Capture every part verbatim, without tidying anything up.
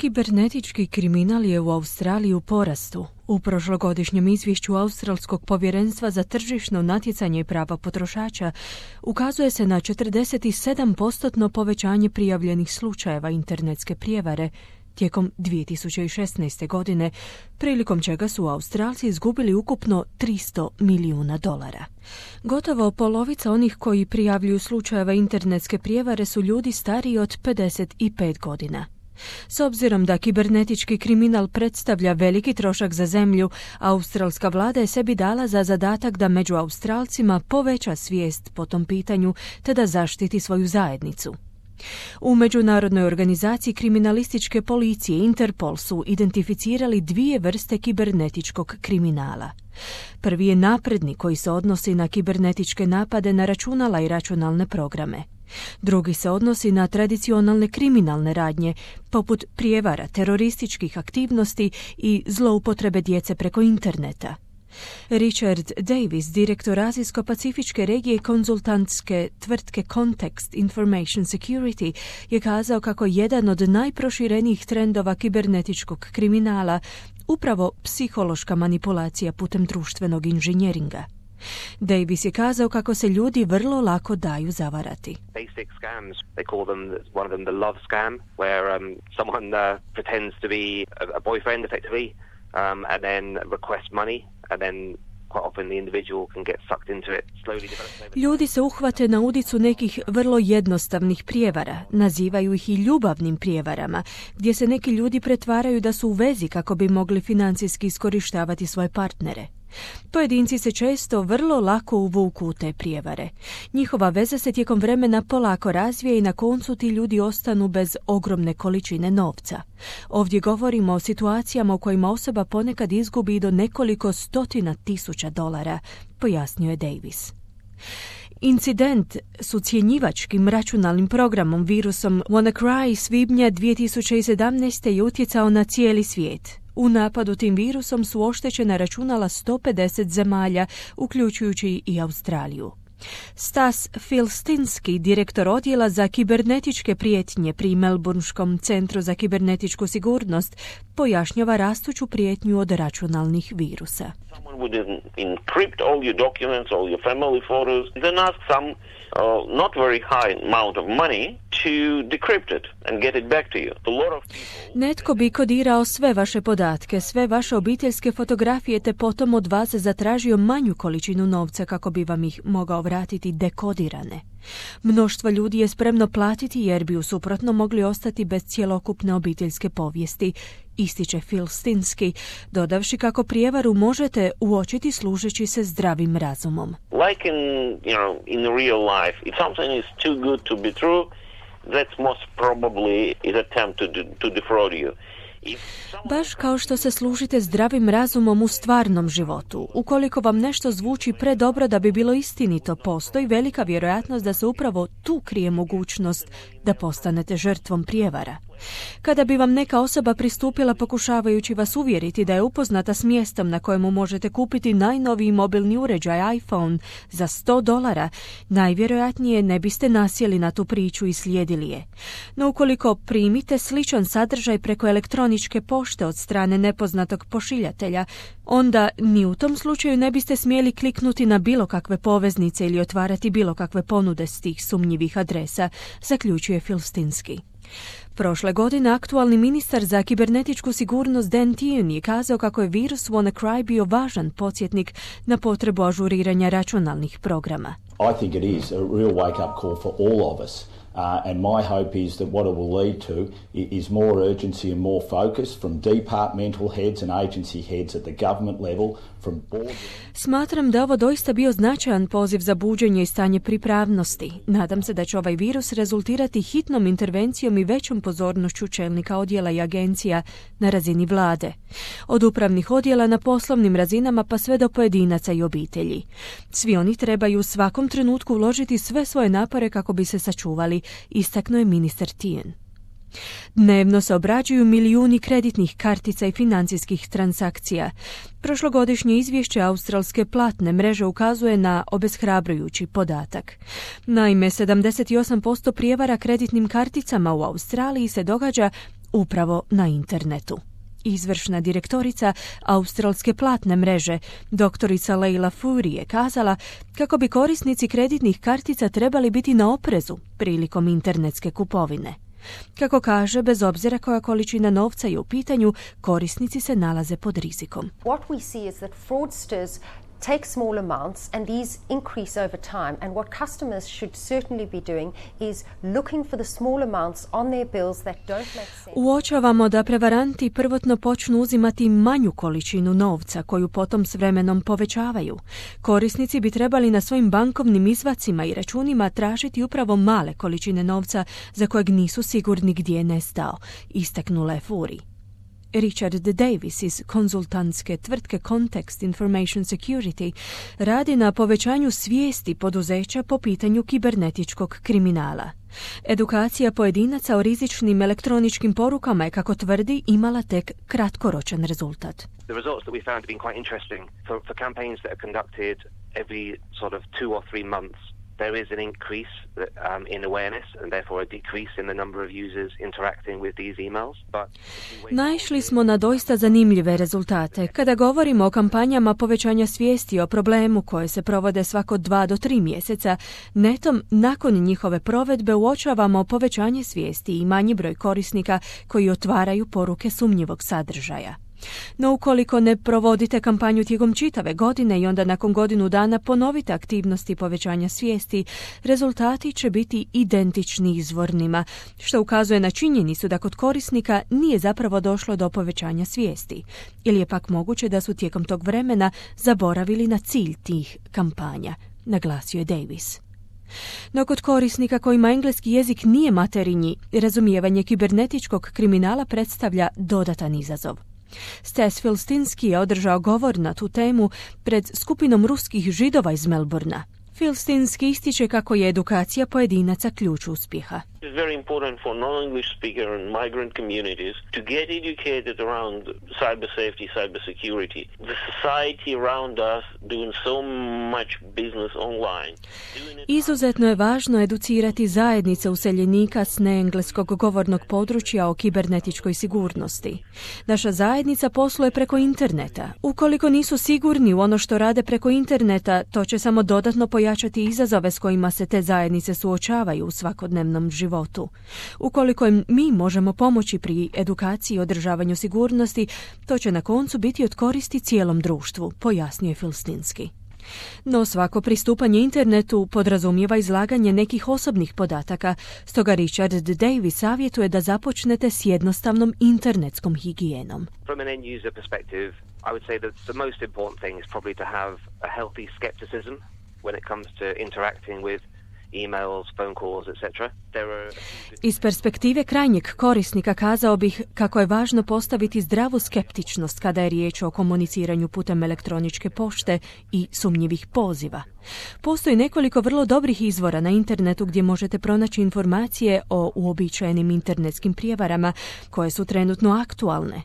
Kibernetički kriminal je u Australiji u porastu. U prošlogodišnjem izvješću Australskog povjerenstva za tržišno natjecanje i prava potrošača ukazuje se na četrdeset sedam posto povećanje prijavljenih slučajeva internetske prijevare tijekom dvije tisuće šesnaeste. godine, prilikom čega su Australci izgubili ukupno tristo milijuna dolara. Gotovo polovica onih koji prijavljuju slučajeva internetske prijevare su ljudi stariji od pedeset pet godina. S obzirom da kibernetički kriminal predstavlja veliki trošak za zemlju, australska vlada je sebi dala za zadatak da među Australcima poveća svijest po tom pitanju te da zaštiti svoju zajednicu. U međunarodnoj organizaciji kriminalističke policije Interpol su identificirali dvije vrste kibernetičkog kriminala. Prvi je napredni koji se odnosi na kibernetičke napade na računala i računalne programe. Drugi se odnosi na tradicionalne kriminalne radnje, poput prijevara, terorističkih aktivnosti i zloupotrebe djece preko interneta. Richard Davis, direktor Azijsko-pacifičke regije konzultantske tvrtke Context Information Security, je kazao kako jedan od najproširenijih trendova kibernetičkog kriminala upravo psihološka manipulacija putem društvenog inženjeringa. Davis je kazao kako se ljudi vrlo lako daju zavarati. Basic scams, they call them, one of them the love scam, where um, someone uh, pretends to be a, a boyfriend effectively, um, and then request money, and then quite often the individual can get sucked into it, slowly develop. Ljudi se uhvate na udicu nekih vrlo jednostavnih prijevara, nazivaju ih i ljubavnim prijevarama, gdje se neki ljudi pretvaraju da su u vezi kako bi mogli financijski iskorištavati svoje partnere. Pojedinci se često vrlo lako uvuku u te prijevare. Njihova veza se tijekom vremena polako razvije i na koncu ti ljudi ostanu bez ogromne količine novca. Ovdje govorimo o situacijama u kojima osoba ponekad izgubi i do nekoliko stotina tisuća dolara, pojasnio je Davis. Incident s ucjenjivačkim računalnim programom virusom WannaCry svibnja dvije tisuće sedamnaeste. je utjecao na cijeli svijet. U napadu tim virusom su oštećena računala sto pedeset zemalja, uključujući i Australiju. Stas Filstinski, direktor odjela za kibernetičke prijetnje pri Melbourneskom centru za kibernetičku sigurnost, pojašnjava rastuću prijetnju od računalnih virusa. Someone would encrypt all your documents, all your family photos, then ask some uh, not very high amount of money to decrypt it and get it back to you. A lot of people... Netko bi kodirao sve vaše podatke, sve vaše obiteljske fotografije, te potom od vas zatražio manju količinu novca kako bi vam ih mogao vratiti dekodirane. Mnoštvo ljudi je spremno platiti jer bi u suprotno mogli ostati bez cjelokupne obiteljske povijesti, ističe Filstinski, dodavši kako prijevaru možete uočiti služeći se zdravim razumom. Like in, you know, in real life, if something is too good to be true, that's most probably is attempt to, to defraud you. Baš kao što se služite zdravim razumom u stvarnom životu, ukoliko vam nešto zvuči predobro da bi bilo istinito, postoji velika vjerojatnost da se upravo tu krije mogućnost da postanete žrtvom prijevara. Kada bi vam neka osoba pristupila pokušavajući vas uvjeriti da je upoznata s mjestom na kojemu možete kupiti najnoviji mobilni uređaj iPhone za sto dolara, najvjerojatnije ne biste nasjeli na tu priču i slijedili je. No ukoliko primite sličan sadržaj preko elektroničke pošte od strane nepoznatog pošiljatelja, onda ni u tom slučaju ne biste smjeli kliknuti na bilo kakve poveznice ili otvarati bilo kakve ponude s tih sumnjivih adresa, zaključuje Filstinski. Prošle godine aktualni ministar za kibernetičku sigurnost Dan Tehan je kazao kako je virus WannaCry bio važan podsjetnik na potrebu ažuriranja računalnih programa. I think it is a real wake-up call for all of us. Uh, and my hope is that what it will lead to is more urgency and more focus from departmental heads and agency heads at the government level, from board... Smatram da ovo doista bio značajan poziv za buđenje i stanje pripravnosti. Nadam se da će ovaj virus rezultirati hitnom intervencijom i većom pozornošću čelnika odjela i agencija na razini vlade. Od upravnih odjela na poslovnim razinama pa sve do pojedinaca i obitelji. Svi oni trebaju u svakom trenutku uložiti sve svoje napore kako bi se sačuvali, istaknuo je ministar Tehan. Dnevno se obrađuju milijuni kreditnih kartica i financijskih transakcija. Prošlogodišnje izvješće australske platne mreže ukazuje na obeshrabrujući podatak. Naime, sedamdeset osam posto prijevara kreditnim karticama u Australiji se događa upravo na internetu. Izvršna direktorica australske platne mreže, doktorica Leila Furi, je kazala kako bi korisnici kreditnih kartica trebali biti na oprezu prilikom internetske kupovine. Kako kaže, bez obzira koja količina novca je u pitanju, korisnici se nalaze pod rizikom. What we see is that fraudsters take small amounts and these increase over time, and what customers should certainly be doing is looking for the small amounts on their bills that don't make sense. Uočavamo da prevaranti prvotno počnu uzimati manju količinu novca koju potom s vremenom povećavaju. Korisnici bi trebali na svojim bankovnim izvacima i računima tražiti upravo male količine novca za kojeg nisu sigurni gdje je nestao, istaknula je Furi. Richard Davis iz konzultantske tvrtke Context Information Security radi na povećanju svijesti poduzeća po pitanju kibernetičkog kriminala. Edukacija pojedinaca o rizičnim elektroničkim porukama je, kako tvrdi, imala tek kratkoročan rezultat. The results that we found have been quite interesting for, for campaigns that are conducted every sort of two or three months. There is an increase um, in awareness and therefore a decrease in the number of users interacting with these emails. But Naišli smo na doista zanimljive rezultate. Kada govorimo o kampanjama povećanja svijesti o problemu koje se provode svako dva do tri mjeseca, netom nakon njihove provedbe uočavamo povećanje svijesti i manji broj korisnika koji otvaraju poruke sumnjivog sadržaja. No ukoliko ne provodite kampanju tijekom čitave godine i onda nakon godinu dana ponovite aktivnosti povećanja svijesti, rezultati će biti identični izvornima, što ukazuje na činjenicu da kod korisnika nije zapravo došlo do povećanja svijesti, ili je pak moguće da su tijekom tog vremena zaboravili na cilj tih kampanja, naglasio je Davis. No kod korisnika kojima engleski jezik nije materinji, razumijevanje kibernetičkog kriminala predstavlja dodatan izazov. Stas Filstinski je održao govor na tu temu pred skupinom ruskih Židova iz Melbourna. Filstinski ističe kako je edukacija pojedinaca ključ uspjeha. It's very important for non-English speaker and migrant communities to get educated around cyber safety, cyber security. The society around us doing so much business online. Izuzetno je važno educirati zajednice useljenika s neengleskog govornog područja o kibernetičkoj sigurnosti. Naša zajednica posluje preko interneta. Ukoliko nisu sigurni u ono što rade preko interneta, to će samo dodatno pojačati izazove s kojima se te zajednice suočavaju u svakodnevnom životu. životu. Ukoliko im mi možemo pomoći pri edukaciji i održavanju sigurnosti, to će na koncu biti od koristi cijelom društvu, pojasnio je Filstinski. No svako pristupanje internetu podrazumijeva izlaganje nekih osobnih podataka, stoga Richard Davis savjetuje da započnete s jednostavnom internetskom higijenom. From an end user perspective, I would say that the most important thing is probably to have a healthy skepticism when it comes to interacting with emails, phone calls, et cetera. There are... Iz perspektive krajnjeg korisnika kazao bih kako je važno postaviti zdravu skeptičnost kada je riječ o komuniciranju putem elektroničke pošte i sumnjivih poziva. Postoji nekoliko vrlo dobrih izvora na internetu gdje možete pronaći informacije o uobičajenim internetskim prijevarama koje su trenutno aktualne.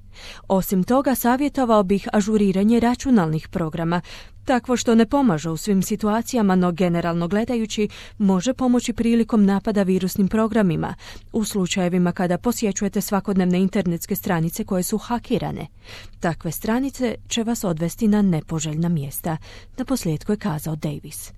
Osim toga, savjetovao bih ažuriranje računalnih programa, takvo što ne pomaže u svim situacijama, no generalno gledajući može pomoći prilikom napada virusnim programima, u slučajevima kada posjećujete svakodnevne internetske stranice koje su hakirane. Takve stranice će vas odvesti na nepoželjna mjesta, naposljetku je kazao Davis.